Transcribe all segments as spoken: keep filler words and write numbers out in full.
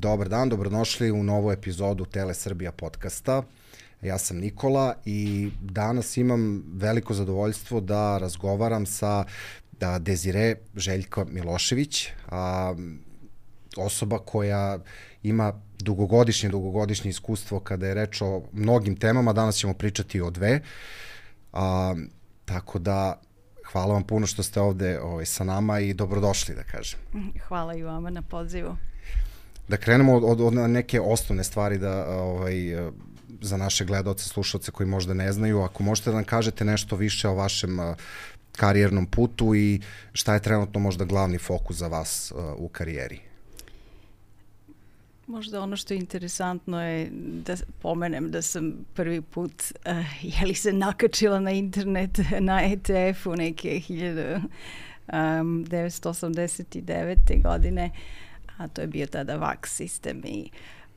dobar dan, dobrodošli u novu epizodu Tele Srbija podcasta. Ja sam Nikola i danas imam veliko zadovoljstvo da razgovaram sa da, Desire Željko Milošević, a, osoba koja ima dugogodišnje, dugogodišnje iskustvo kada je reč o mnogim temama. Danas ćemo pričati o dve. A, tako da hvala vam puno što ste ovde ovaj, sa nama i dobrodošli, da kažem. Hvala i vama na pozivu. Da krenemo od, od neke osnovne stvari da, ovaj, za naše gledaoce, slušalce koji možda ne znaju. Ako možete da nam kažete nešto više o vašem karijernom putu i šta je trenutno možda glavni fokus za vas u karijeri? Možda ono što je interesantno je da pomenem da sam prvi put uh, je li se nakačila na internet na E T F-u neke hiljadu devetsto osamdeset devete. godine, a to je bio tada vaks sistem. I,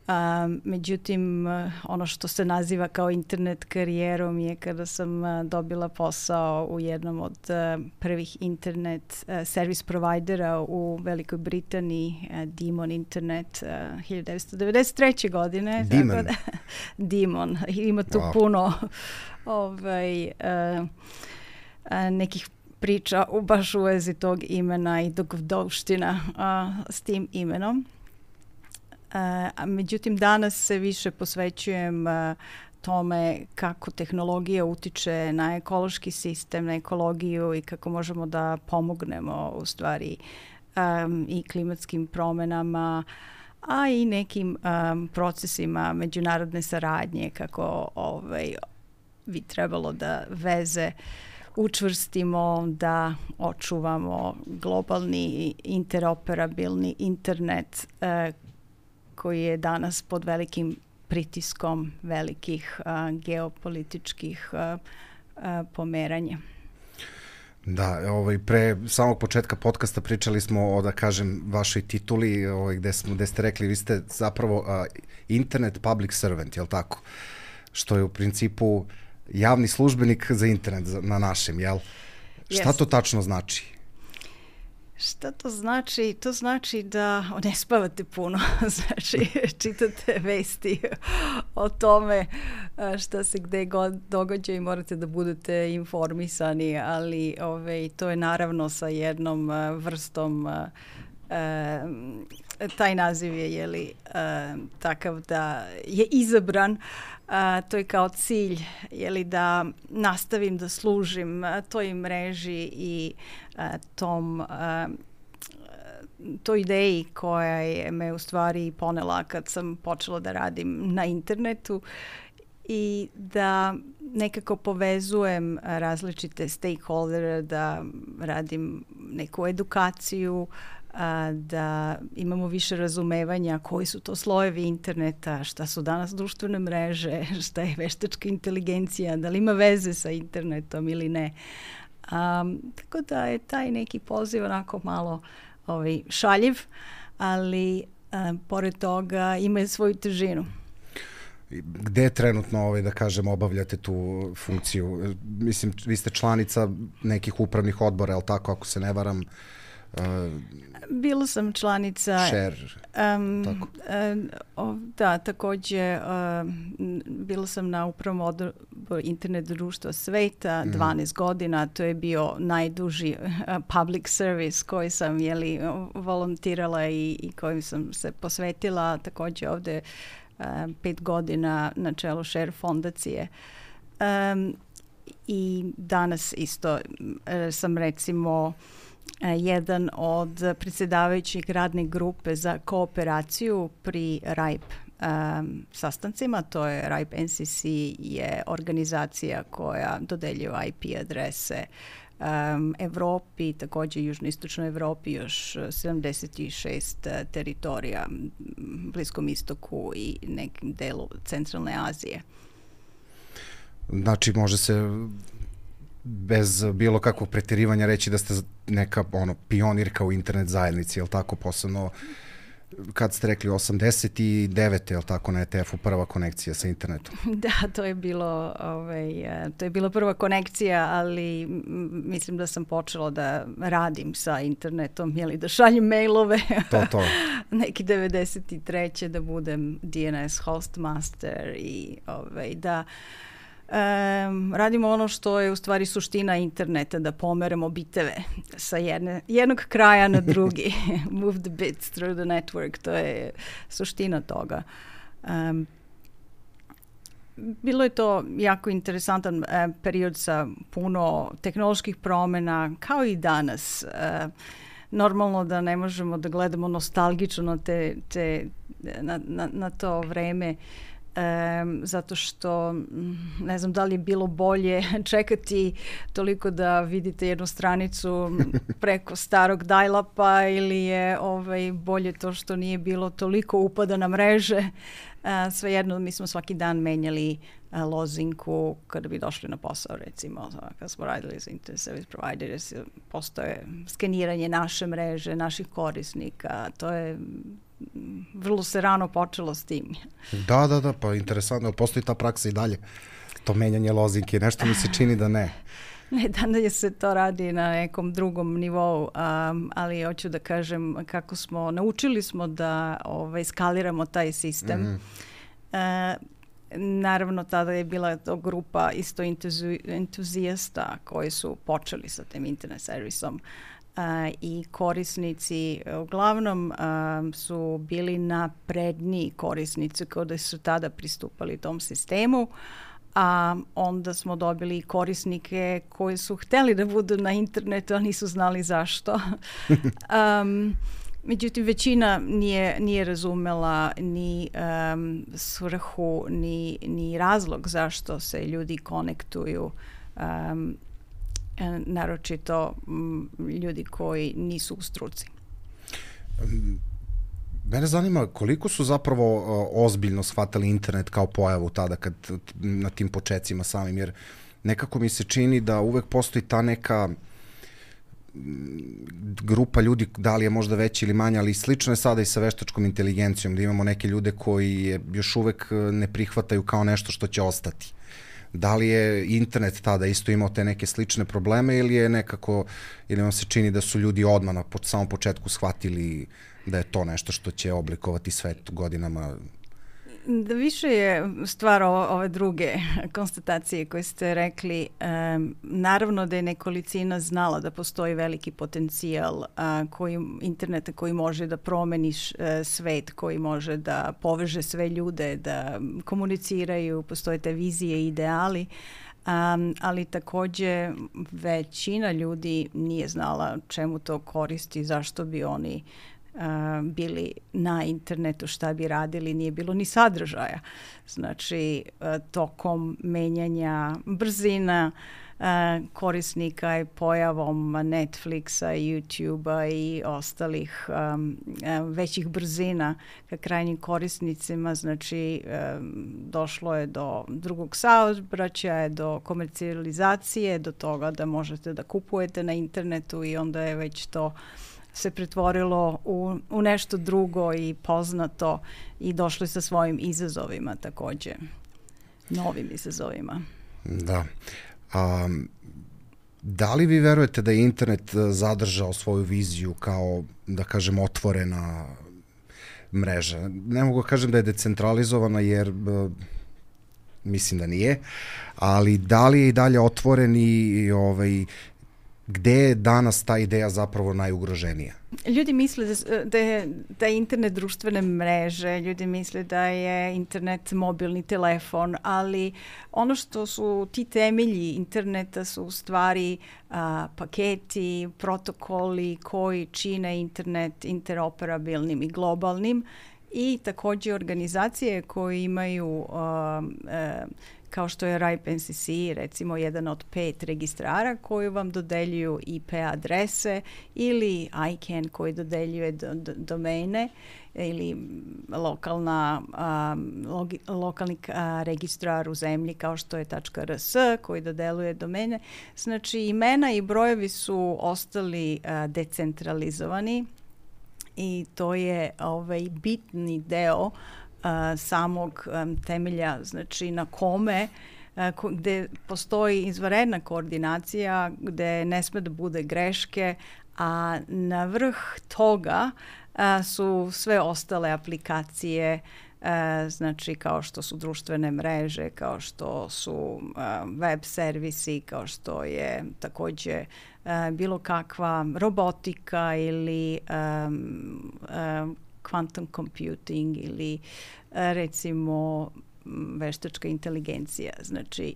um, međutim, ono što se naziva kao internet karijerom je kada sam uh, dobila posao u jednom od uh, prvih internet uh, service providera u Velikoj Britaniji, uh, Demon Internet, uh, hiljadu devetsto devedeset treće. godine. Demon? Da, Demon. Ima tu wow. puno ovaj, uh, uh, nekih priča u baš u vezi tog imena i dogodovština uh, s tim imenom. Uh, a međutim, danas se više posvećujem uh, tome kako tehnologija utiče na ekološki sistem, na ekologiju i kako možemo da pomognemo u stvari um, i klimatskim promenama, a i nekim um, procesima međunarodne saradnje, kako ovaj, bi trebalo da veze učvrstimo, da očuvamo globalni interoperabilni internet eh, koji je danas pod velikim pritiskom velikih eh, geopolitičkih eh, eh, pomeranja. Da, ovaj, pre samog početka podcasta pričali smo o, da kažem, vašoj tituli, ovaj, gde, smo, gde ste rekli, vi ste zapravo uh, internet public servant, je li tako? Što je u principu javni službenik za internet na našem, jel? Šta yes. to tačno znači? Šta to znači? To znači da ne spavate puno, znači čitate vesti o tome šta se gde god događa i morate da budete informisani, ali ove, to je naravno sa jednom vrstom, e, taj naziv je jeli, e, takav da je izabran. Uh, to je kao cilj, jeli, da nastavim da služim uh, toj mreži i uh, tom uh, toj ideji koja je me u stvari ponela kad sam počela da radim na internetu i da nekako povezujem različite stakeholdere, da radim neku edukaciju, a, da imamo više razumevanja koji su to slojevi interneta, šta su danas društvene mreže, šta je veštačka inteligencija, da li ima veze sa internetom ili ne. A, tako da je taj neki poziv onako malo ovaj, šaljiv, ali a, pored toga ima svoju težinu. Gde trenutno, ovaj, da kažem, obavljate tu funkciju? Mislim, vi ste članica nekih upravnih odbora, je li tako, ako se ne varam? Uh, Bila sam članica Share, um, tako. Uh, o, da, takođe uh, bila sam na upravnom odboru internet društva sveta mm. dvanaest godina, to je bio najduži uh, public service koji sam jeli, volontirala i, i kojim sam se posvetila, takođe ovde uh, pet godina na čelu Share fondacije. Um, I danas isto uh, sam recimo jedan od predsjedavajućih radne grupe za kooperaciju pri R A I P um, sastancima. To je R A I P N C C je organizacija koja dodeljuje I P adrese um, Evropi, također južnoistočnoj Evropi, još sedamdeset šest teritorija, Bliskom istoku i nekim delu centralne Azije. Znači, može se bez bilo kakvog preterivanja reći da ste neka ono, pionirka u internet zajednici, je li tako, posebno kad ste rekli, osamdeset devete, je li tako, na E T F-u prva konekcija sa internetom? Da, to je bilo, ovaj, to je bila prva konekcija, ali mislim da sam počela da radim sa internetom, jeli, da šaljem mailove. To, to. Neki devedeset treće da budem D N S hostmaster i ovaj, da Um, radimo ono što je u stvari suština interneta, da pomeramo biteve sa jedne, jednog kraja na drugi. Move the bits through the network, to je suština toga. Um, bilo je to jako interesantan uh, period sa puno tehnoloških promjena, kao i danas. Uh, normalno da ne možemo da gledamo nostalgično na, te, te, na, na, na to vreme, Um, zato što ne znam da li je bilo bolje čekati toliko da vidite jednu stranicu preko starog dial-upa ili je ovaj, bolje to što nije bilo toliko upada na mreže. Uh, svejedno, mi smo svaki dan menjali uh, lozinku kada bi došli na posao, recimo kada smo radili za Internet Service Providers, postoje skeniranje naše mreže, naših korisnika, to je vrlo se rano počelo s tim. Da, da, da, pa interesantno, postoji ta praksa i dalje, to menjanje lozinke, nešto mi se čini da ne. Ne, danas se to radi na nekom drugom nivou, um, ali hoću da kažem kako smo, naučili smo da ovaj, skaliramo taj sistem. Mm-hmm. Uh, naravno, tada je bila to grupa isto entuzi, entuzijasta koji su počeli sa tim internet servisom. Uh, i korisnici uglavnom um, su bili napredniji korisnici kada su tada pristupali tom sistemu, a onda smo dobili korisnike koji su hteli da budu na internetu, a nisu znali zašto. um, međutim, većina nije, nije razumela ni um, svrhu, ni, ni razlog zašto se ljudi konektuju, um, naročito m, ljudi koji nisu u struci. Mene zanima koliko su zapravo uh, ozbiljno shvatali internet kao pojavu tada kad na tim počecima samim, jer nekako mi se čini da uvek postoji ta neka grupa ljudi, da li je možda veća ili manja, ali slično je sada i sa veštačkom inteligencijom, da imamo neke ljude koji je još uvek ne prihvataju kao nešto što će ostati. Da li je internet tada isto imao te neke slične probleme ili je nekako, ili vam se čini da su ljudi odmah na samom početku shvatili da je to nešto što će oblikovati svet godinama? Da više je stvar o, ove druge konstatacije koje ste rekli. Um, naravno da je nekolicina znala da postoji veliki potencijal uh, koji, interneta koji može da promeni uh, svet, koji može da poveže sve ljude, da komuniciraju, postoje te vizije i ideali. Um, ali takođe većina ljudi nije znala čemu to koristi, zašto bi oni Uh, bili na internetu, šta bi radili, nije bilo ni sadržaja. Znači, uh, tokom menjanja brzina uh, korisnika i pojavom Netflixa, YouTubea i ostalih um, uh, većih brzina ka krajnjim korisnicima, znači um, došlo je do drugog saobraćaja, do komercijalizacije, do toga da možete da kupujete na internetu i onda je već to se pretvorilo u, u nešto drugo i poznato i došli sa svojim izazovima takođe, novim izazovima. Da. A, da li vi verujete da je internet zadržao svoju viziju kao, da kažem, otvorena mreža? Ne mogu kažem da je decentralizovana jer mislim da nije, ali da li je i dalje otvoren i ovaj, gde je danas ta ideja zapravo najugroženija? Ljudi misle da, da, je, da je internet društvene mreže, ljudi misle da je internet mobilni telefon, ali ono što su ti temelji interneta su u stvari a, paketi, protokoli koji čine internet interoperabilnim i globalnim i takođe organizacije koje imaju a, a, kao što je R I P N C C, recimo jedan od pet registrara koji vam dodeljuju I P adrese, ili I C A N koji dodeljuje do, do, domene, ili lokalna, um, logi, lokalni uh, registrar u zemlji kao što je .rs koji dodeluje domene. Znači, imena i brojevi su ostali uh, decentralizovani i to je ovaj bitni deo uh, samog um, temelja, znači na kome uh, gde postoji izvanredna koordinacija, gde ne sme da bude greške, a na vrh toga uh, su sve ostale aplikacije, uh, znači kao što su društvene mreže, kao što su uh, web servisi, kao što je takođe uh, bilo kakva robotika ili um, um, quantum computing ili uh, recimo veštačka inteligencija. Znači,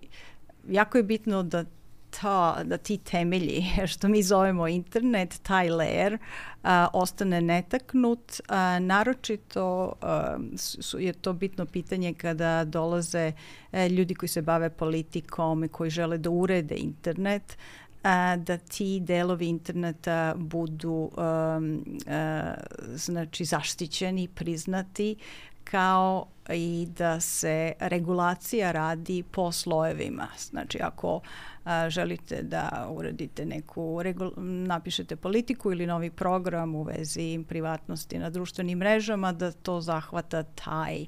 jako je bitno da Ta, da ti temelji, što mi zovemo internet, taj layer, a, ostane netaknut. A, naročito a, su, je to bitno pitanje kada dolaze a, ljudi koji se bave politikom i koji žele da urede internet, a, da ti delovi interneta budu a, a, znači zaštićeni, priznati, kao i da se regulacija radi po slojevima. Znači, ako a, želite da uradite neku, regul- napišete politiku ili novi program u vezi privatnosti na društvenim mrežama, da to zahvata taj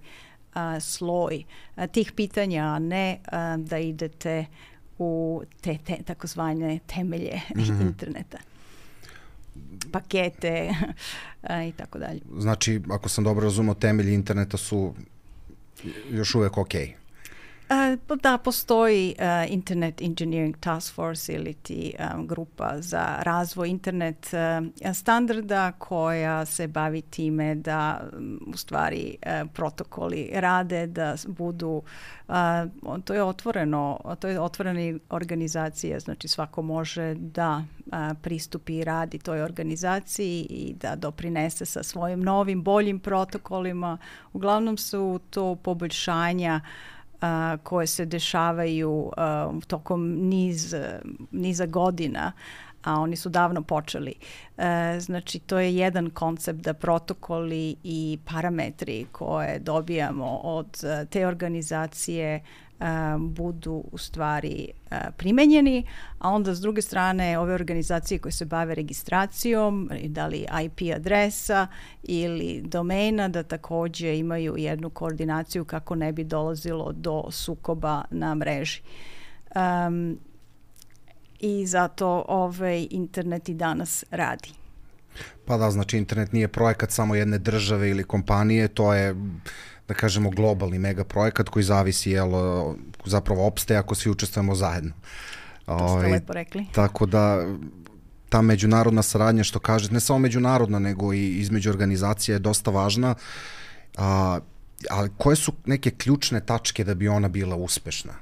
a, sloj a, tih pitanja, a ne a, da idete u te, te takozvane temelje mm-hmm. interneta, pakete a, i tako dalje. Znači, ako sam dobro razumio, temelji interneta su još uvek okej. Uh, da, postoji uh, Internet Engineering Task Force ili ti um, grupa za razvoj internet uh, standarda koja se bavi time da um, u stvari uh, protokoli rade, da budu, uh, to je otvoreno, to je otvorena organizacija, znači svako može da uh, pristupi i radi toj organizaciji i da doprinese sa svojim novim, boljim protokolima. Uglavnom su to poboljšanja Uh, koje se dešavaju uh, tokom niz, niza godina, a oni su davno počeli. Uh, znači, to je jedan koncept da protokoli i parametri koje dobijamo od uh, te organizacije uh, budu u stvari uh, primenjeni, a onda s druge strane ove organizacije koje se bave registracijom, da li I P adresa ili domena, da takođe imaju jednu koordinaciju kako ne bi dolazilo do sukoba na mreži. Um, I zato ovaj internet i danas radi. Pa da, znači internet nije projekat samo jedne države ili kompanije, to je, da kažemo, globalni mega projekat koji zavisi, jel, zapravo opstaje ako svi učestvujemo zajedno. To ste o, lepo rekli. Tako da ta međunarodna saradnja, što kažete, ne samo međunarodna, nego i između organizacija je dosta važna. A, ali koje su neke ključne tačke da bi ona bila uspešna?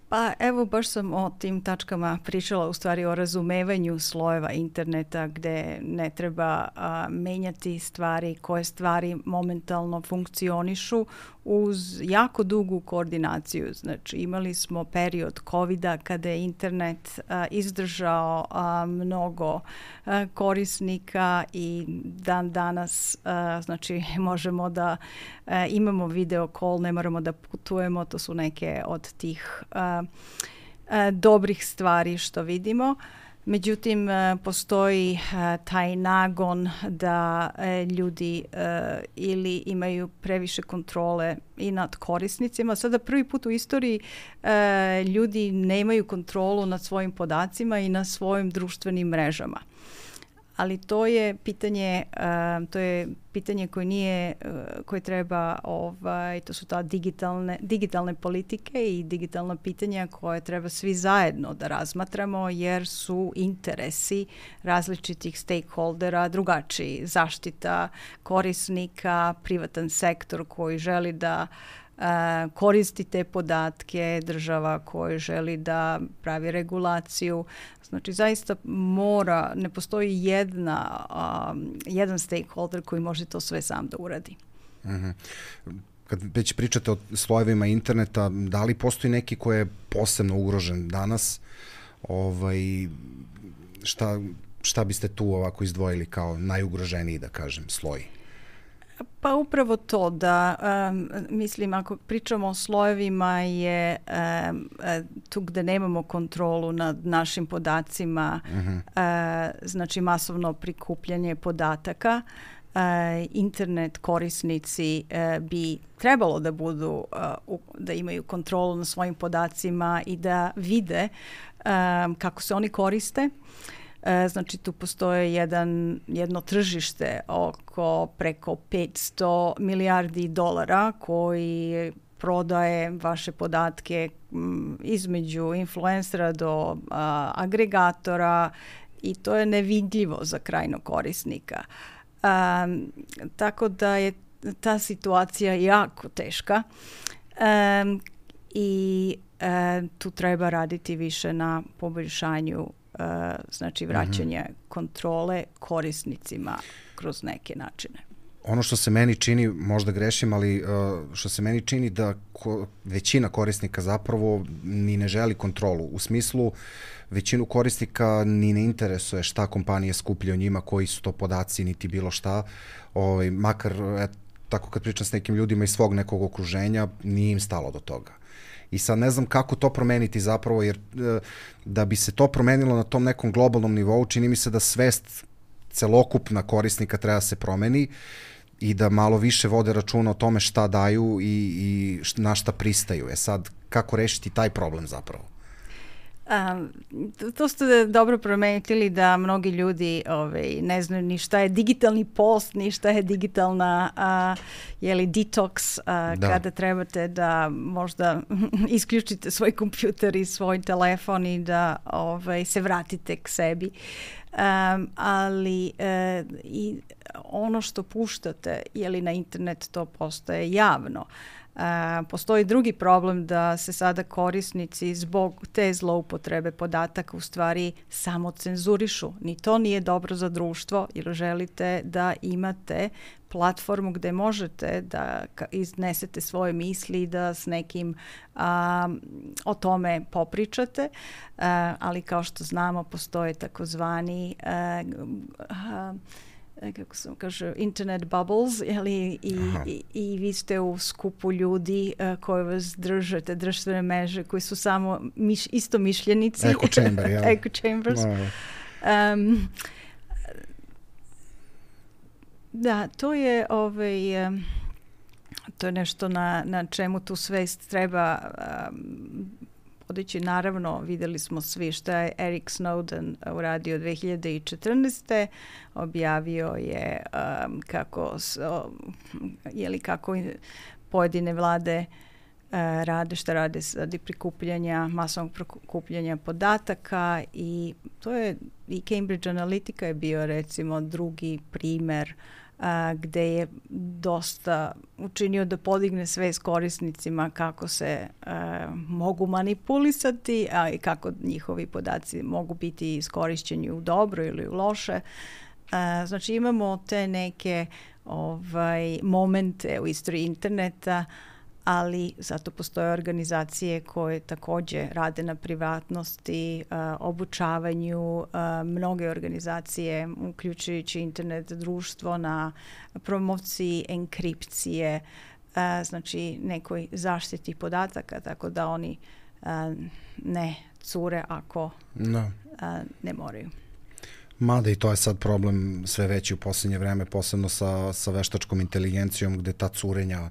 Pa evo, baš sam o tim tačkama pričala, u stvari o razumevanju slojeva interneta gde ne treba a, menjati stvari, koje stvari momentalno funkcionišu uz jako dugu koordinaciju. Znači, imali smo period kovida kada je internet a, izdržao a, mnogo a, korisnika i dan danas a, znači možemo da a, imamo video call, ne moramo da putujemo, to su neke od tih a, a, dobrih stvari što vidimo. Međutim, postoji taj nagon da ljudi ili imaju previše kontrole i nad korisnicima. Sada prvi put u istoriji ljudi nemaju kontrolu nad svojim podacima i na svojim društvenim mrežama. Ali to je pitanje, uh, to je pitanje koje nije, uh, koje treba, ovaj, to su ta digitalne, digitalne politike i digitalna pitanja koje treba svi zajedno da razmatramo, jer su interesi različitih stakeholdera drugačiji. Zaštita korisnika, privatan sektor koji želi da Uh, koristi te podatke, država koja želi da pravi regulaciju. Znači, zaista mora, ne postoji jedna, um, jedan stakeholder koji može to sve sam da uradi. Mm-hmm. Kad već pričate o slojevima interneta, da li postoji neki koji je posebno ugrožen danas? Ovaj, šta, šta biste tu ovako izdvojili kao najugroženiji, da kažem, sloj? Pa upravo to da, um, mislim, ako pričamo o slojevima je um, tu gde nemamo kontrolu nad našim podacima, uh-huh. uh, znači masovno prikupljanje podataka, uh, internet korisnici uh, bi trebalo da budu, uh, u, da imaju kontrolu na svojim podacima i da vide um, kako se oni koriste. Znači tu postoje jedan, jedno tržište oko preko petsto milijardi dolara koji prodaje vaše podatke m, između influencera do a, agregatora i to je nevidljivo za krajnog korisnika. A, tako da je ta situacija jako teška a, i a, tu treba raditi više na poboljšanju Uh, znači vraćanje mm-hmm. kontrole korisnicima kroz neke načine. Ono što se meni čini, možda grešim, ali uh, što se meni čini da ko, većina korisnika zapravo ni ne želi kontrolu. U smislu, većinu korisnika ni ne interesuje šta kompanije skupljaju njima, koji su to podaci, niti bilo šta. Ovaj, makar, et, tako kad pričam s nekim ljudima iz svog nekog okruženja, nije im stalo do toga. I sad ne znam kako to promeniti zapravo, jer da bi se to promenilo na tom nekom globalnom nivou, čini mi se da svest celokupna korisnika treba se promeni i da malo više vode računa o tome šta daju i, i na šta pristaju. E sad, kako rešiti taj problem zapravo? Um, to, to ste dobro promenili da mnogi ljudi ovaj, ne znaju ni šta je digitalni post, ni šta je digitalna uh, jeli, detox, uh, kada trebate da možda isključite svoj kompjuter i svoj telefon i da ovaj, se vratite k sebi. Um, ali uh, i ono što puštate jeli, na internet, to postaje javno. Uh, postoji drugi problem da se sada korisnici zbog te zloupotrebe podataka u stvari samo cenzurišu. Ni to nije dobro za društvo jer želite da imate platformu gde možete da iznesete svoje misli i da s nekim a, o tome popričate, a, ali kao što znamo postoje takozvani a, a, kako se kaže, internet bubbles, jeli, i, i, i vi ste u skupu ljudi uh, koji vas drže, te društvene mreže, koji su samo miš, isto mišljenici. Echo chamber, jel? Echo chambers. No. Um, da, to je ovaj, um, to je nešto na, na čemu tu svest treba um, podići. Naravno, videli smo svi šta je Eric Snowden uradio dve hiljade četrnaeste. Objavio je um, kako, jeli, kako pojedine vlade uh, rade, šta rade radi prikupljanja, masovnog prikupljanja podataka i to je i Cambridge Analytica je bio recimo drugi primer a, gde je dosta učinio da podigne svest korisnicima kako se a, mogu manipulisati, a i kako njihovi podaci mogu biti iskorišćeni u dobro ili u loše. A, znači imamo te neke ovaj, momente u istoriji interneta, ali zato postoje organizacije koje takođe rade na privatnosti, uh, obučavanju, uh, mnoge organizacije, uključujući internet društvo, na promociji enkripcije, uh, znači nekoj zaštiti podataka, tako da oni uh, ne cure ako no. uh, ne moraju. Mada i to je sad problem sve veći u posljednje vreme, posebno sa, sa veštačkom inteligencijom, gde ta curenja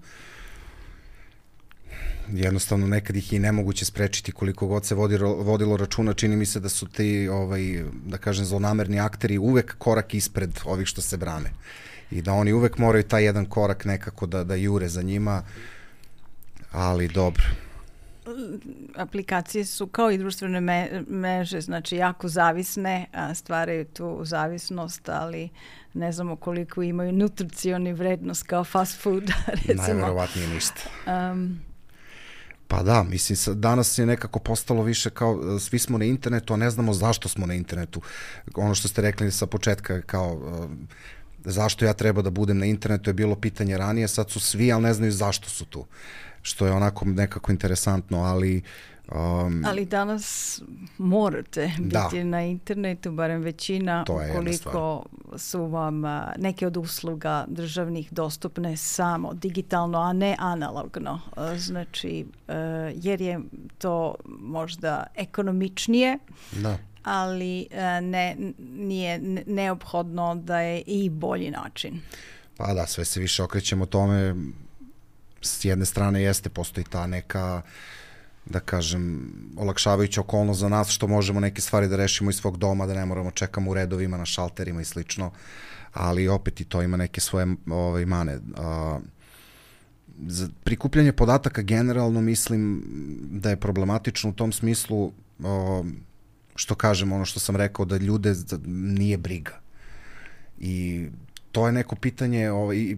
jednostavno nekad ih i nemoguće sprečiti koliko god se vodi, vodilo računa. Čini mi se da su ti, ovaj, da kažem, zlonamerni akteri uvek korak ispred ovih što se brane. I da oni uvek moraju taj jedan korak nekako da, da jure za njima, ali dobro. Aplikacije su kao i društvene me, mreže, znači jako zavisne, a stvaraju tu zavisnost, ali ne znamo koliko imaju nutricioni vrednost kao fast food, recimo. Najverovatnije ništa. Um, Pa da, mislim, danas je nekako postalo više kao svi smo na internetu, a ne znamo zašto smo na internetu. Ono što ste rekli sa početka, kao zašto ja treba da budem na internetu je bilo pitanje ranije, sad su svi, ali ne znaju zašto su tu. što je onako nekako interesantno, ali Um, Ali danas morate biti da. na internetu, barem većina, ukoliko su vam a, neke od usluga državnih dostupne samo digitalno, a ne analogno. A, znači, a, jer je to možda ekonomičnije, da. ali a, ne, nije neophodno da je i bolji način. Pa da, sve se više okrećemo tome. S jedne strane jeste, postoji ta neka, da kažem, olakšavajuća okolnost za nas, što možemo neke stvari da rešimo iz svog doma, da ne moramo čekamo u redovima na šalterima i slično, ali opet i to ima neke svoje ove, mane. A, za prikupljanje podataka generalno mislim da je problematično u tom smislu, a, što kažem, ono što sam rekao, da ljude nije briga. I to je neko pitanje, ovaj,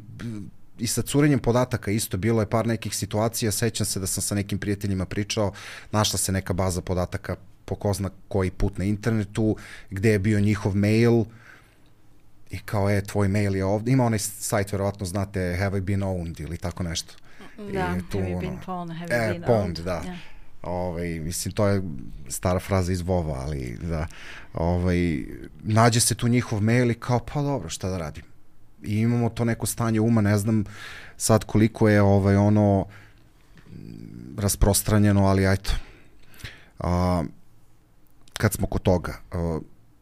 i sa curenjem podataka isto, bilo je par nekih situacija, sećam se da sam sa nekim prijateljima pričao, našla se neka baza podataka po ko zna koji put na internetu, gde je bio njihov mail i kao je, tvoj mail je ovde, ima onaj sajt, verovatno znate, have I been owned ili tako nešto. Da, tu, have you ono, been pawned, have e, you been pawned, owned. da. Yeah. Ovaj, mislim, to je stara fraza iz Vova, ali da, ovaj, nađe se tu njihov mail i kao, pa dobro, šta da radim? I imamo to neko stanje uma, ne znam sad koliko je ovaj, ono rasprostranjeno, ali ajto. A, kad smo kod toga, a,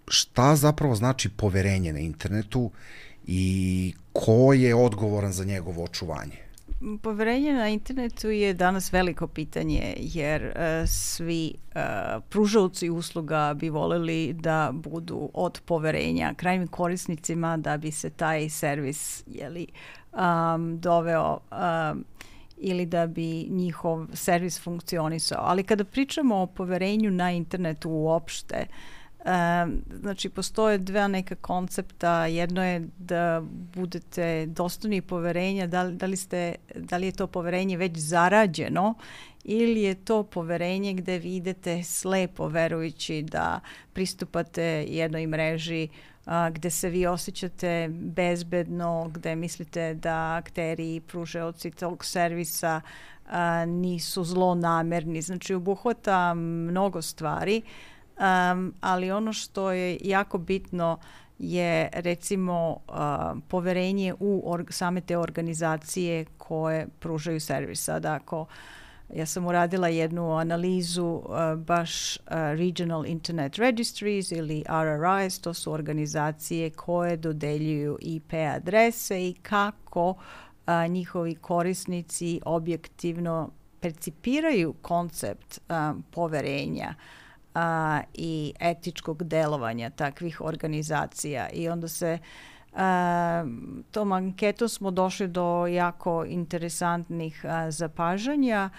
šta zapravo znači poverenje na internetu i ko je odgovoran za njegovo očuvanje? Poverenje na internetu je danas veliko pitanje, jer uh, svi uh, pružaoci usluga bi voleli da budu od poverenja krajnjim korisnicima, da bi se taj servis jeli, um, doveo um, ili da bi njihov servis funkcionisao. Ali kada pričamo o poverenju na internetu uopšte, Um, znači, postoje dva neka koncepta. Jedno je da budete dostojni poverenja, da li, da li, ste, da li je to poverenje već zarađeno ili je to poverenje gde vi idete slepo verujući da pristupate jednoj mreži a, gde se vi osjećate bezbedno, gde mislite da akteri i pružaoci tog servisa a, nisu zlonamerni. Znači, obuhvata mnogo stvari. Um, ali ono što je jako bitno je recimo uh, poverenje u org- same te organizacije koje pružaju servis. Sada ako ja sam uradila jednu analizu uh, baš uh, Regional Internet Registries ili R R Is, to su organizacije koje dodeljuju I P adrese i kako uh, njihovi korisnici objektivno percipiraju koncept um, poverenja A, i etičkog delovanja takvih organizacija. I onda se a, tom anketom smo došli do jako interesantnih a, zapažanja,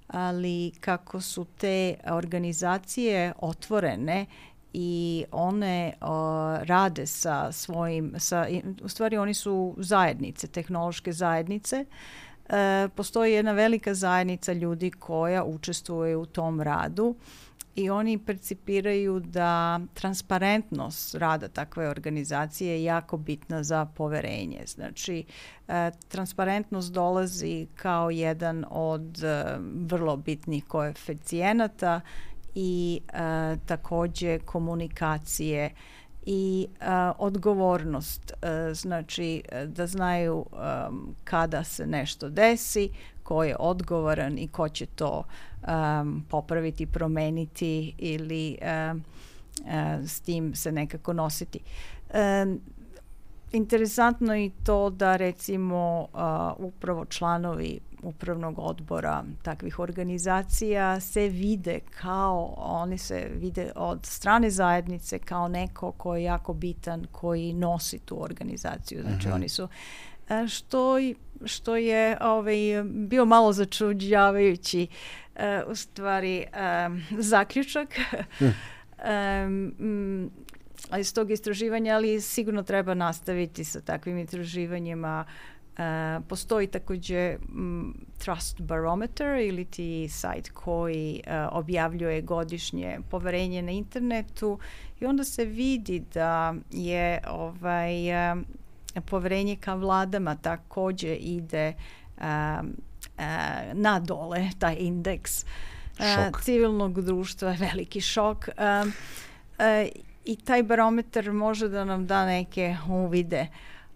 ali kako su te organizacije otvorene i one a, rade sa svojim, sa, u stvari oni su zajednice, tehnološke zajednice. A, postoji jedna velika zajednica ljudi koja učestvuje u tom radu i oni percipiraju da transparentnost rada takve organizacije je jako bitna za poverenje. Znači, e, transparentnost dolazi kao jedan od e, vrlo bitnih koeficijenata i e, takođe komunikacije i e, odgovornost. E, znači, da znaju e, kada se nešto desi, ko je odgovoran i ko će to um, popraviti, promeniti ili um, uh, s tim se nekako nositi. Um, interesantno je to da recimo uh, upravo članovi upravnog odbora takvih organizacija se vide kao, oni se vide od strane zajednice kao neko ko je jako bitan, koji nosi tu organizaciju. Znači, uh-huh. oni su što, što je ovaj, bio malo začuđavajući uh, u stvari um, zaključak mm. um, iz tog istraživanja, ali sigurno treba nastaviti sa takvim istraživanjima. Uh, postoji takođe um, Trust Barometer ili ti sajt koji uh, objavljuje godišnje poverenje na internetu i onda se vidi da je ovaj um, poverenje ka vladama takođe ide um, na dole, taj indeks Šok. civilnog društva je veliki šok. Um, uh, I taj barometar može da nam da neke uvide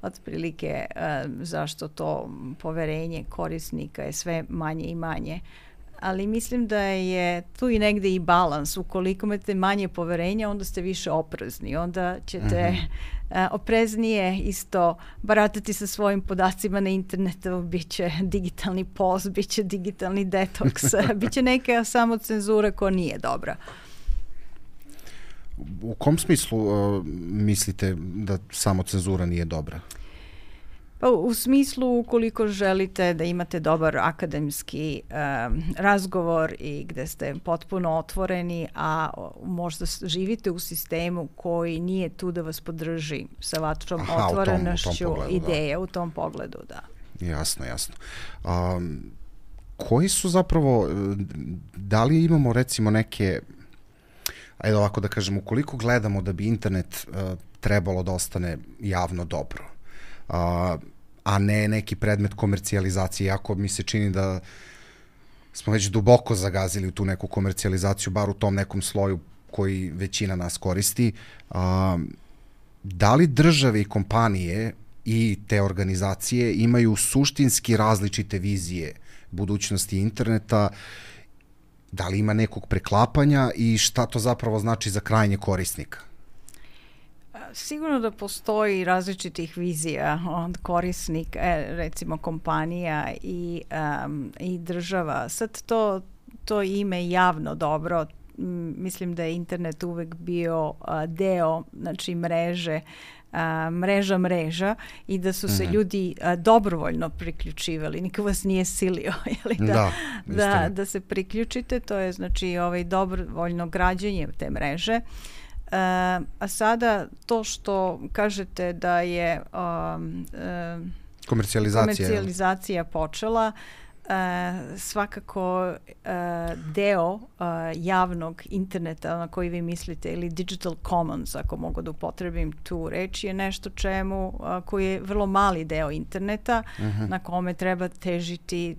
otprilike uh, zašto to poverenje korisnika je sve manje i manje. Ali mislim da je tu i negde i balans. Ukoliko imate manje poverenja, onda ste više oprezni. Onda ćete mm-hmm. uh, opreznije isto baratati sa svojim podacima na internetu. Biće digitalni post, biće digitalni detoks, biće neka samocenzura koja nije dobra. U kom smislu uh, mislite da samocenzura nije dobra? Pa u smislu ukoliko želite da imate dobar akademski um, razgovor i gde ste potpuno otvoreni, a možda živite u sistemu koji nije tu da vas podrži sa vašom otvorenošću ideje da. U tom pogledu, da. Jasno, jasno. Um, koji su zapravo, da li imamo recimo neke, ajde ovako da kažem, ukoliko gledamo da bi internet uh, trebalo da ostane javno dobro, Uh, a ne neki predmet komercijalizacije, iako mi se čini da smo već duboko zagazili u tu neku komercijalizaciju, bar u tom nekom sloju koji većina nas koristi. Uh, da li države i kompanije i te organizacije imaju suštinski različite vizije budućnosti interneta, da li ima nekog preklapanja i šta to zapravo znači za krajnje korisnika? Sigurno da postoji različitih vizija od korisnika, recimo kompanija i, um, i država. Sad to, to ime javno dobro, mislim da je internet uvek bio uh, deo, znači mreže, uh, mreža mreža i da su se mm-hmm. ljudi uh, dobrovoljno priključivali, niko vas nije silio jeli, da, da, da, da se priključite, to je znači ovaj dobrovoljno građenje te mreže. Uh, a sada to što kažete da je um, uh, komercijalizacija, komercijalizacija počela, uh, svakako uh, deo uh, javnog interneta na koji vi mislite ili digital commons, ako mogu da upotrebim tu reč, je nešto čemu uh, koji je vrlo mali deo interneta uh-huh. na kome treba težiti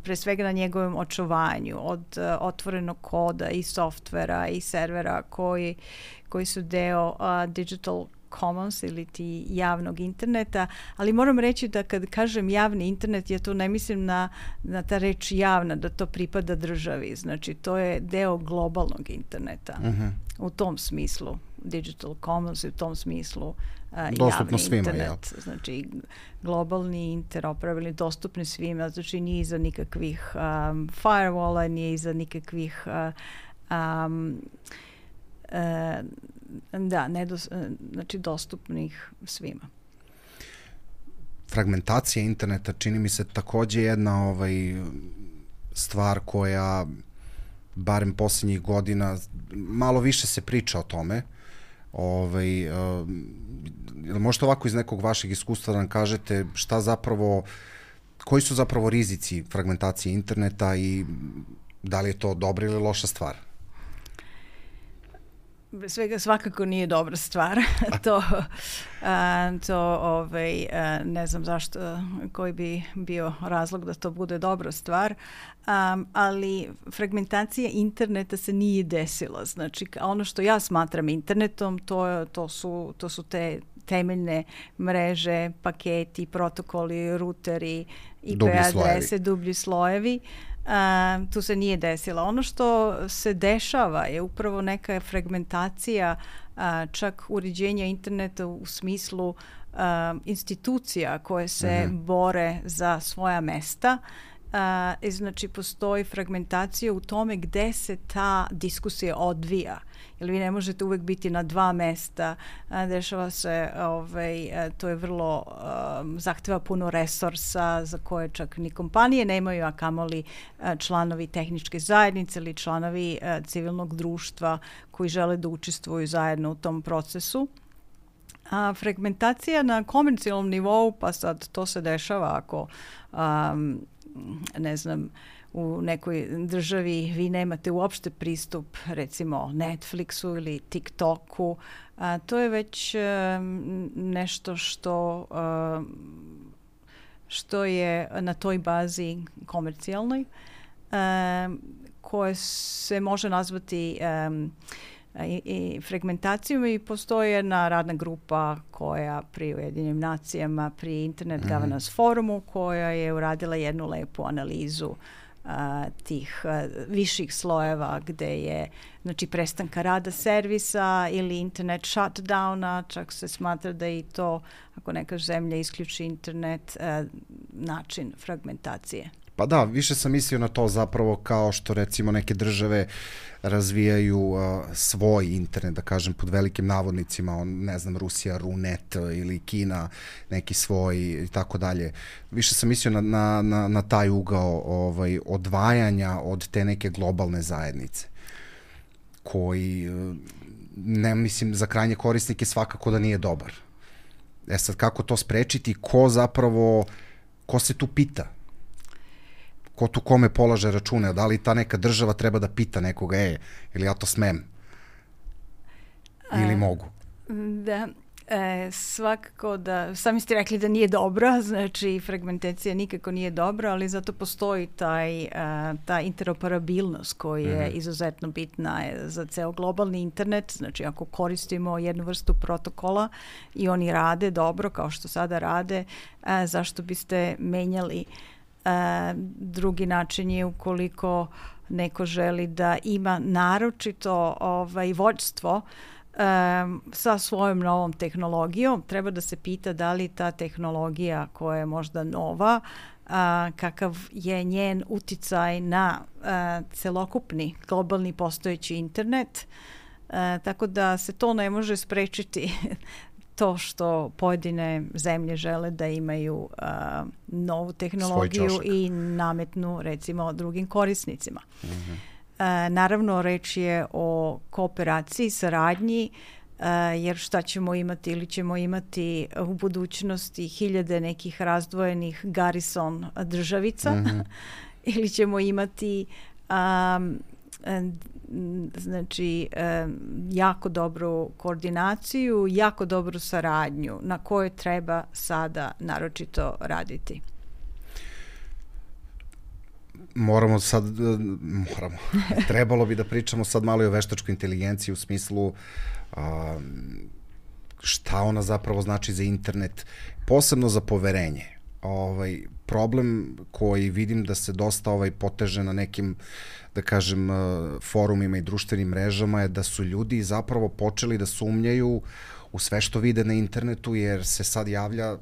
pre svega na njegovom očuvanju od uh, otvorenog koda i softvera i servera koji koji su deo uh, digital commons ili ti javnog interneta, ali moram reći da kad kažem javni internet, ja to ne mislim na, na ta reč javna, da to pripada državi, znači to je deo globalnog interneta. Uh-huh. U tom smislu digital commons i u tom smislu uh, javni svima, internet. Ja. Znači globalni, interoperabilni, dostupni svima, znači nije iza nikakvih um, firewalla, nije iza nikakvih uh, um, E, da, nedos, znači dostupnih svima. Fragmentacija interneta čini mi se takođe jedna ovaj, stvar koja barem posljednjih godina malo više se priča o tome. Ovaj, uh, možete ovako iz nekog vašeg iskustva da nam kažete šta zapravo, koji su zapravo rizici fragmentacije interneta i da li je to dobra ili loša stvar? Svega svakako nije dobra stvar. to a, to ovaj, a, ne znam zašto, koji bi bio razlog da to bude dobra stvar, um, ali fragmentacija interneta se nije desila. Znači, ono što ja smatram internetom, to, to, su, to su te temeljne mreže, paketi, protokoli, ruteri, I P adrese, dublji slojevi. Uh, tu se nije desila. Ono što se dešava je upravo neka fragmentacija uh, čak uređenja interneta u smislu uh, institucija koje se uh-huh. bore za svoja mesta. Uh, znači postoji fragmentacija u tome gde se ta diskusija odvija. Jer vi ne možete uvek biti na dva mesta, a, dešava se, ovaj, a, to je vrlo, a, zahteva puno resursa za koje čak ni kompanije nemaju, a kamoli a, članovi tehničke zajednice ili članovi a, civilnog društva koji žele da učestvuju zajedno u tom procesu. A fragmentacija na komercijalnom nivou, pa sad to se dešava ako, um, ne znam, u nekoj državi vi nemate uopšte pristup recimo Netflixu ili TikToku, a, to je već um, nešto što um, što je na toj bazi komercijalnoj, um, koje se može nazvati um, i, i fragmentacijom i postoji jedna radna grupa koja pri Ujedinjenim nacijama, pri Internet mm-hmm. Governance Forumu, koja je uradila jednu lepu analizu uh, tih uh, viših slojeva gde je znači prestanka rada servisa ili internet shutdowna, čak se smatra da i to, ako neka zemlja isključi internet, uh, način fragmentacije. Pa da, više sam mislio na to zapravo kao što recimo neke države razvijaju uh, svoj internet, da kažem pod velikim navodnicima, on, ne znam, Rusija, Runet ili Kina, neki svoj i tako dalje. Više sam mislio na, na, na, na taj ugao ovaj, odvajanja od te neke globalne zajednice, koji, ne mislim, za krajnje korisnike svakako da nije dobar. E sad, kako to sprečiti, ko zapravo, ko se tu pita? Ko tu kome polaže račune, da li ta neka država treba da pita nekoga, e, ili ja to smem, ili A, mogu? Da, e, svakako da, sami ste rekli da nije dobra, znači fragmentacija nikako nije dobra, ali zato postoji taj, a, ta interoperabilnost koja je mm-hmm. izuzetno bitna za ceo globalni internet, znači ako koristimo jednu vrstu protokola i oni rade dobro kao što sada rade, a, zašto biste menjali. Uh, drugi način je ukoliko neko želi da ima naročito ovaj, vođstvo um, sa svojom novom tehnologijom, treba da se pita da li ta tehnologija koja je možda nova, uh, kakav je njen uticaj na uh, celokupni globalni postojeći internet, uh, tako da se to ne može sprečiti to što pojedine zemlje žele da imaju uh, novu tehnologiju i nametnu recimo drugim korisnicima. Mm-hmm. Uh, naravno, reč je o kooperaciji, saradnji, uh, jer šta ćemo imati ili ćemo imati u budućnosti hiljade nekih razdvojenih garrison državica mm-hmm. ili ćemo imati um, znači jako dobru koordinaciju, jako dobru saradnju na kojoj treba sada naročito raditi. Moramo sad, moramo, trebalo bi da pričamo sad malo i o veštačkoj inteligenciji u smislu a, šta ona zapravo znači za internet, posebno za poverenje. Ovaj, problem koji vidim da se dosta ovaj, poteže na nekim, da kažem, forumima i društvenim mrežama je da su ljudi zapravo počeli da sumnjaju u sve što vide na internetu, jer se sad javlja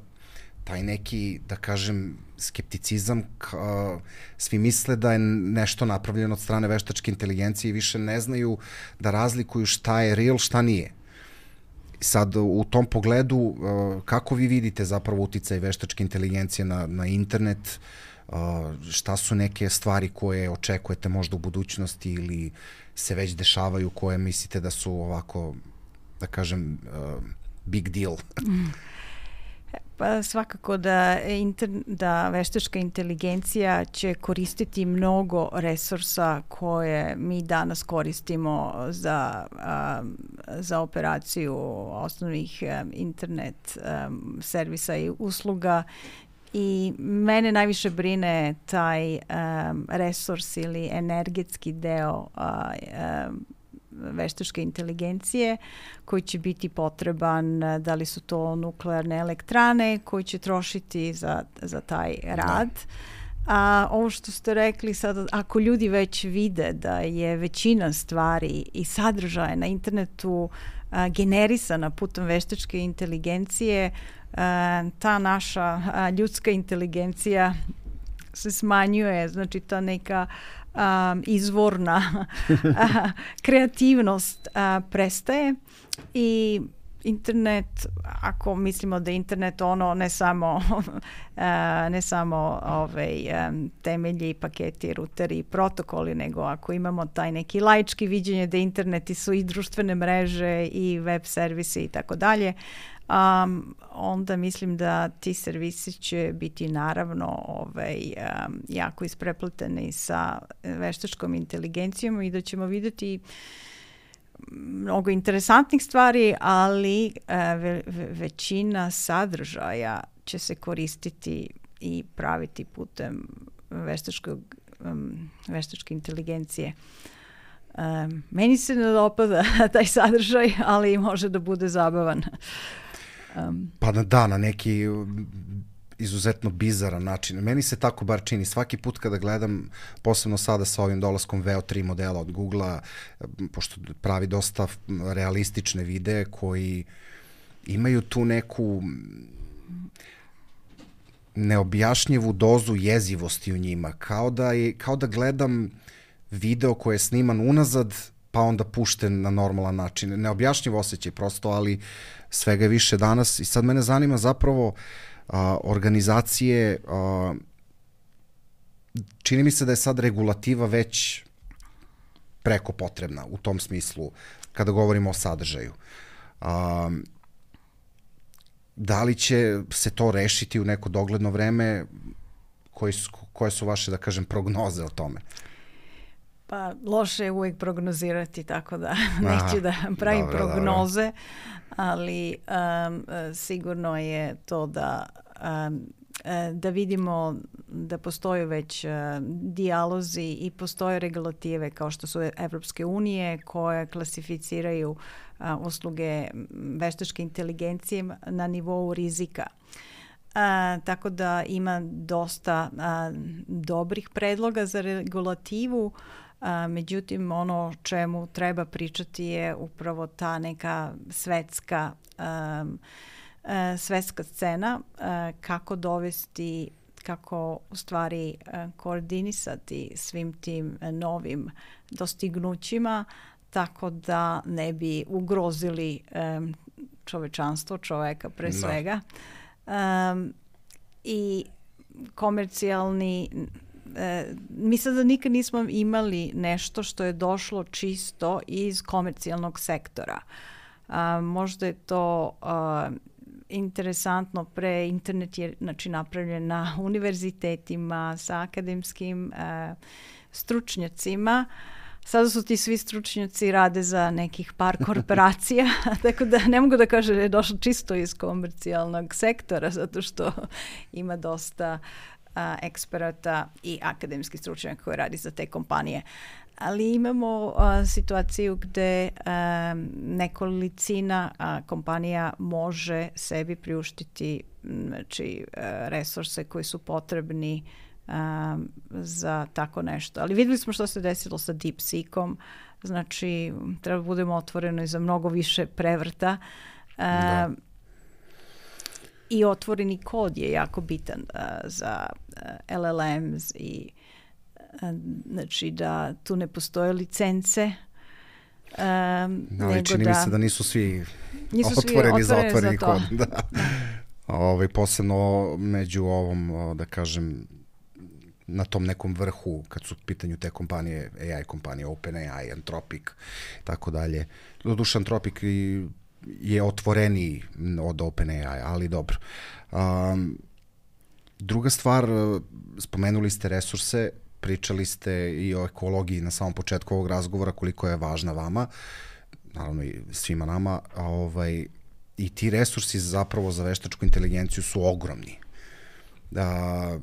taj neki, da kažem, skepticizam, ka, svi misle da je nešto napravljeno od strane veštačke inteligencije i više ne znaju da razlikuju šta je real, šta nije. Sad, u tom pogledu, kako vi vidite zapravo uticaj veštačke inteligencije na, na internet, šta su neke stvari koje očekujete možda u budućnosti ili se već dešavaju koje mislite da su ovako, da kažem, big deal? Pa svakako da, inter, da veštačka inteligencija će koristiti mnogo resursa koje mi danas koristimo za, um, za operaciju osnovnih um, internet um, servisa i usluga. I mene najviše brine taj um, resurs ili energetski deo uh, um, veštačke inteligencije koji će biti potreban, da li su to nuklearne elektrane koji će trošiti za, za taj rad. A ovo što ste rekli sad, ako ljudi već vide da je većina stvari i sadržaja na internetu a, generisana putem veštačke inteligencije, a, ta naša a, ljudska inteligencija se smanjuje, znači ta neka Um, izvorna uh, kreativnost uh, prestaje i internet, ako mislimo da internet ono ne samo uh, ne samo ovaj, um, temelji, paketi, ruteri i protokoli, nego ako imamo taj neki laički viđenje da interneti su i društvene mreže i web servisi i tako dalje, Um, onda mislim da ti servisi će biti naravno ovaj, um, jako isprepleteni sa veštačkom inteligencijom i da ćemo vidjeti mnogo interesantnih stvari, ali uh, ve, ve, većina sadržaja će se koristiti i praviti putem veštačkog, um, veštačke inteligencije. Um, meni se ne dopada taj sadržaj, ali može da bude zabavan. Um, pa da, na neki izuzetno bizaran način. Meni se tako bar čini. Svaki put kada gledam, posebno sada sa ovim dolaskom V O tri modela od Googlea, pošto pravi dosta realistične videe koji imaju tu neku neobjašnjivu dozu jezivosti u njima. Kao da, je, kao da gledam video koji je sniman unazad, pa onda pušten na normalan način. Neobjašnjiv osjećaj prosto, ali svega je više danas. I sad mene zanima zapravo a, organizacije, a, čini mi se da je sad regulativa već preko potrebna u tom smislu, kada govorimo o sadržaju. A, da li će se to rešiti u neko dogledno vreme? Koji su, koje su vaše, da kažem, prognoze o tome? Pa loše je uvijek prognozirati, tako da neću da pravim dobro, prognoze, dobro. ali um, sigurno je to da um, da vidimo da postoje već uh, dijalozi i postoje regulative kao što su Evropske unije koje klasificiraju uh, usluge veštačke inteligencije na nivou rizika. Uh, tako da ima dosta uh, dobrih predloga za regulativu. Uh, međutim, ono čemu treba pričati je upravo ta neka svetska um, uh, svetska scena, uh, kako dovesti, kako u stvari uh, koordinisati svim tim uh, novim dostignućima tako da ne bi ugrozili um, čovečanstvo, čoveka pre no. svega. Um, i komercijalni e, mi sada nikad nismo imali nešto što je došlo čisto iz komercijalnog sektora. A, možda je to a, interesantno, pre internet je znači, napravljen na univerzitetima sa akademskim a, stručnjacima. Sada su ti svi stručnjaci rade za nekih par korporacija, tako da ne mogu da kažem da je došlo čisto iz komercijalnog sektora, zato što ima dosta a, eksperata i akademskih stručnjaka koji radi za te kompanije. Ali imamo a, situaciju gde a, nekolicina a, kompanija može sebi priuštiti znači, a, resurse koji su potrebni Um, za tako nešto. Ali videli smo što se desilo sa DeepSeekom, znači treba da budemo otvoreni za mnogo više prevrta um, i otvoreni kod je jako bitan uh, za uh, L L Ms i uh, znači da tu ne postoje licence. Um, no, ali čini da, mi se da nisu svi nisu otvoreni, svi za otvoreni za kod. Da. Da. Ove, posebno među ovom, da kažem, na tom nekom vrhu, kad su u pitanju te kompanije, A I kompanije, OpenAI, Anthropic, tako dalje. Doduše, Anthropic je otvoreniji od OpenAI, ali dobro. Um, druga stvar, spomenuli ste resurse, pričali ste i o ekologiji na samom početku ovog razgovora, koliko je važna vama, naravno i svima nama, a ovaj, i ti resursi zapravo za veštačku inteligenciju su ogromni. Da,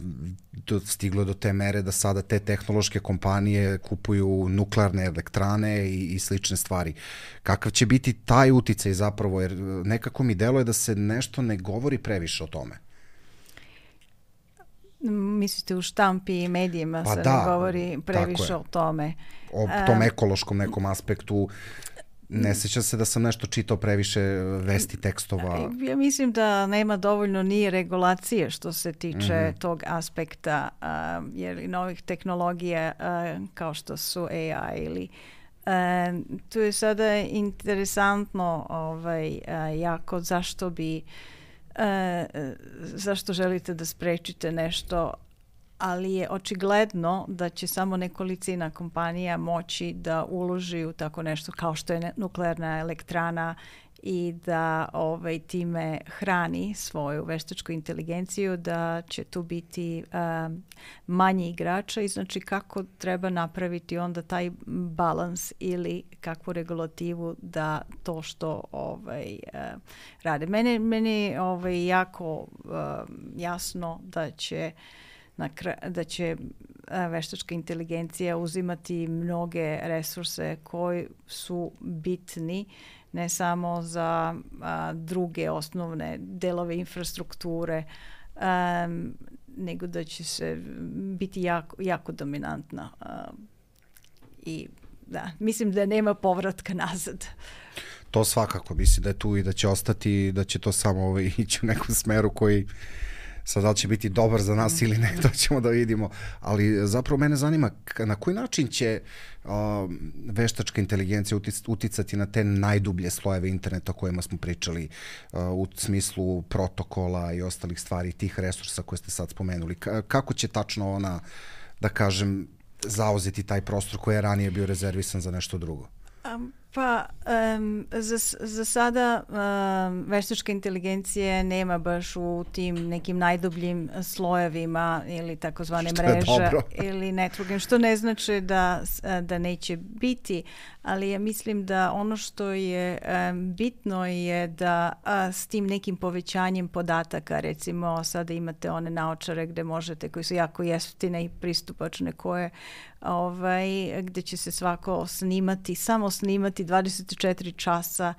do, stiglo do te mere da sada te tehnološke kompanije kupuju nuklearne elektrane i, i slične stvari. Kakav će biti taj uticaj zapravo, jer nekako mi deluje da se nešto ne govori previše o tome. Mislite u štampi i medijima pa se da, ne govori previše o tome. O tom ekološkom nekom aspektu. Ne sjećam se da sam nešto čitao previše vesti, tekstova. Ja mislim da nema dovoljno ni regulacije što se tiče mm-hmm. tog aspekta, uh, jer i novih tehnologija uh, kao što su A I ili uh, tu je sada interesantno ovaj, uh, jako zašto bi uh, zašto želite da sprečite nešto, ali je očigledno da će samo nekolicina kompanija moći da uloži u tako nešto kao što je nuklearna elektrana i da ovaj, time hrani svoju veštačku inteligenciju, da će tu biti um, manje igrača i znači kako treba napraviti onda taj balans ili kakvu regulativu da to što ovaj, uh, rade. Mene, meni ovaj, jako uh, jasno da će Na kra- da će a, veštačka inteligencija uzimati mnoge resurse koji su bitni ne samo za a, druge osnovne delove infrastrukture, a, nego da će se biti jako, jako dominantna. A, I da, mislim da nema povratka nazad. To svakako, mislim da je tu i da će ostati, da će to samo ovaj, ići u nekom smeru koji sad da li će biti dobar za nas ili ne, to ćemo da vidimo. Ali zapravo mene zanima na koji način će uh, veštačka inteligencija utic, uticati na te najdublje slojeve interneta o kojima smo pričali uh, u smislu protokola i ostalih stvari, tih resursa koje ste sad spomenuli. K- kako će tačno ona, da kažem, zauzeti taj prostor koji je ranije bio rezervisan za nešto drugo? Um, pa um, za, za sada um, veštačka inteligencija nema baš u tim nekim najdubljim slojevima ili takozvane mreže ili networking, što ne znači da, da neće biti, ali ja mislim da ono što je um, bitno je da a, s tim nekim povećanjem podataka, recimo sada imate one naočare gde možete, koji su jako jeftine i pristupačne, koje ovaj, gde će se svako snimati, samo snimati dvadeset četiri časa.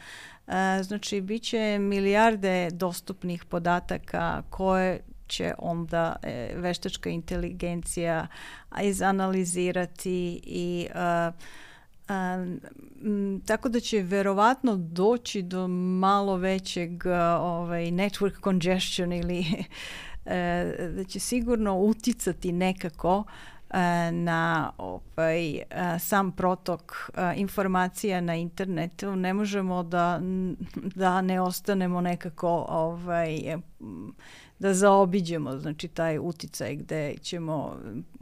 E, znači, bit će milijarde dostupnih podataka koje će onda e, veštačka inteligencija izanalizirati i e, a, m, tako da će verovatno doći do malo većeg ovaj, network congestion ili e, da će sigurno uticati nekako na ovaj, sam protok informacija na internetu. Ne možemo da, da ne ostanemo nekako ovaj, da zaobiđemo znači taj uticaj gde ćemo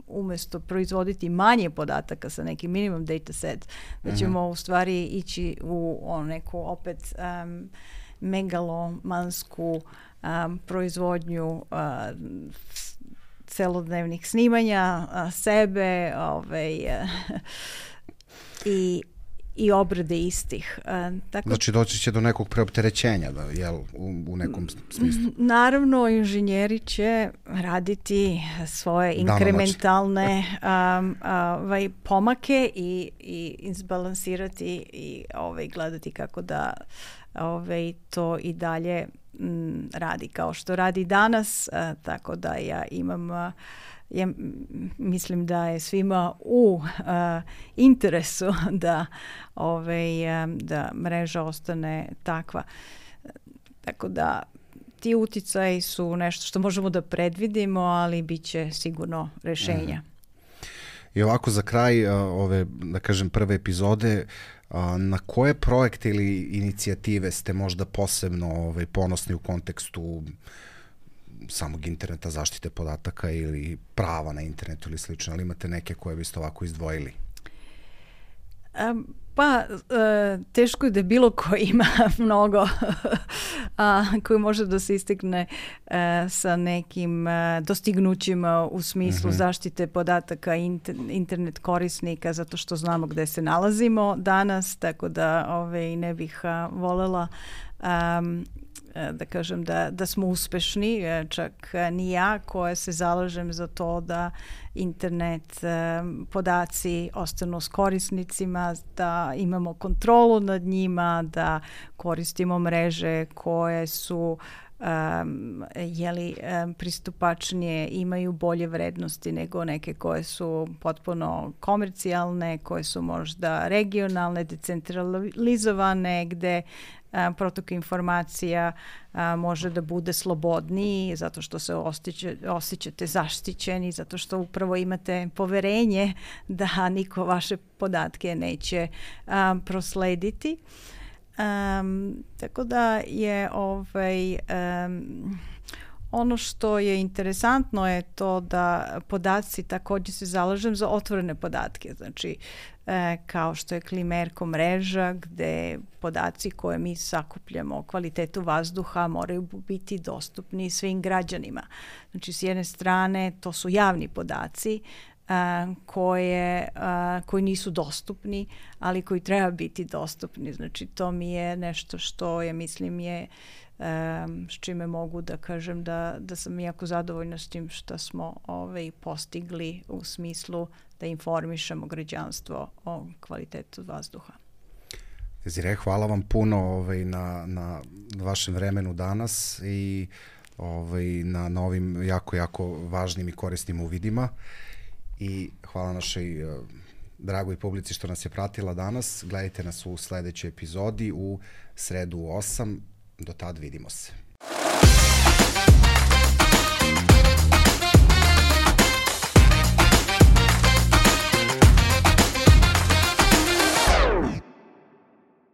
umesto proizvoditi manje podataka sa nekim minimum data set, da ćemo uh-huh. u stvari ići u on, neku opet um, megalomansku um, proizvodnju uh, celodnevnih snimanja a, sebe ovaj, a, i, i obrade istih. A, tako, znači doći će do nekog preopterećenja, da, jel, u, u nekom smislu? Naravno, inženjeri će raditi svoje inkrementalne um, ovaj, pomake i, i izbalansirati i ovaj, gledati kako da ovaj, to i dalje m, radi kao što radi danas, a, tako da ja imam a, ja mislim da je svima u a, interesu da, ovaj, a, da mreža ostane takva. Tako da ti uticaji su nešto što možemo da predvidimo, ali bit će sigurno rešenja. Mhm. I ovako za kraj a, ove, da kažem, prve epizode, a, na koje projekte ili inicijative ste možda posebno ovaj, ponosni u kontekstu samog interneta, zaštite podataka ili prava na internetu ili slično, ali imate neke koje biste ovako izdvojili? Um, pa, uh, teško je da bilo ko ima mnogo a, koji može da se istekne uh, sa nekim uh, dostignućima u smislu mm-hmm. zaštite podataka inter, internet korisnika, zato što znamo gde se nalazimo danas, tako da ovaj, ne bih uh, volela um, da kažem da, da smo uspešni, čak ni ja koja se zalažem za to da internet podaci ostanu s korisnicima, da imamo kontrolu nad njima, da koristimo mreže koje su Um, jeli, um, pristupačnije, imaju bolje vrednosti nego neke koje su potpuno komercijalne, koje su možda regionalne, decentralizovane, gde um, protok informacija um, može da bude slobodniji zato što se osjeća, osjećate zaštićeni, zato što upravo imate poverenje da niko vaše podatke neće um, proslediti. Um, tako da je ovaj, um, ono što je interesantno je to da podaci, također se zalažem za otvorene podatke, znači e, kao što je Klimerko mreža gde podaci koje mi sakupljamo o kvalitetu vazduha moraju biti dostupni svim građanima. Znači s jedne strane to su javni podaci a, koje, a, koji nisu dostupni, ali koji treba biti dostupni. Znači to mi je nešto što je, mislim, je Um, s čime mogu da kažem da, da sam jako zadovoljna s tim što smo ovaj, postigli u smislu da informišemo građanstvo o kvalitetu vazduha. Desiree, hvala vam puno ovaj, na, na vašem vremenu danas i ovaj, na, na ovim jako, jako važnim i korisnim uvidima. I hvala našoj uh, dragoj publici što nas je pratila danas. Gledajte nas u sledećoj epizodi u sredu u osam. Do tad vidimo se.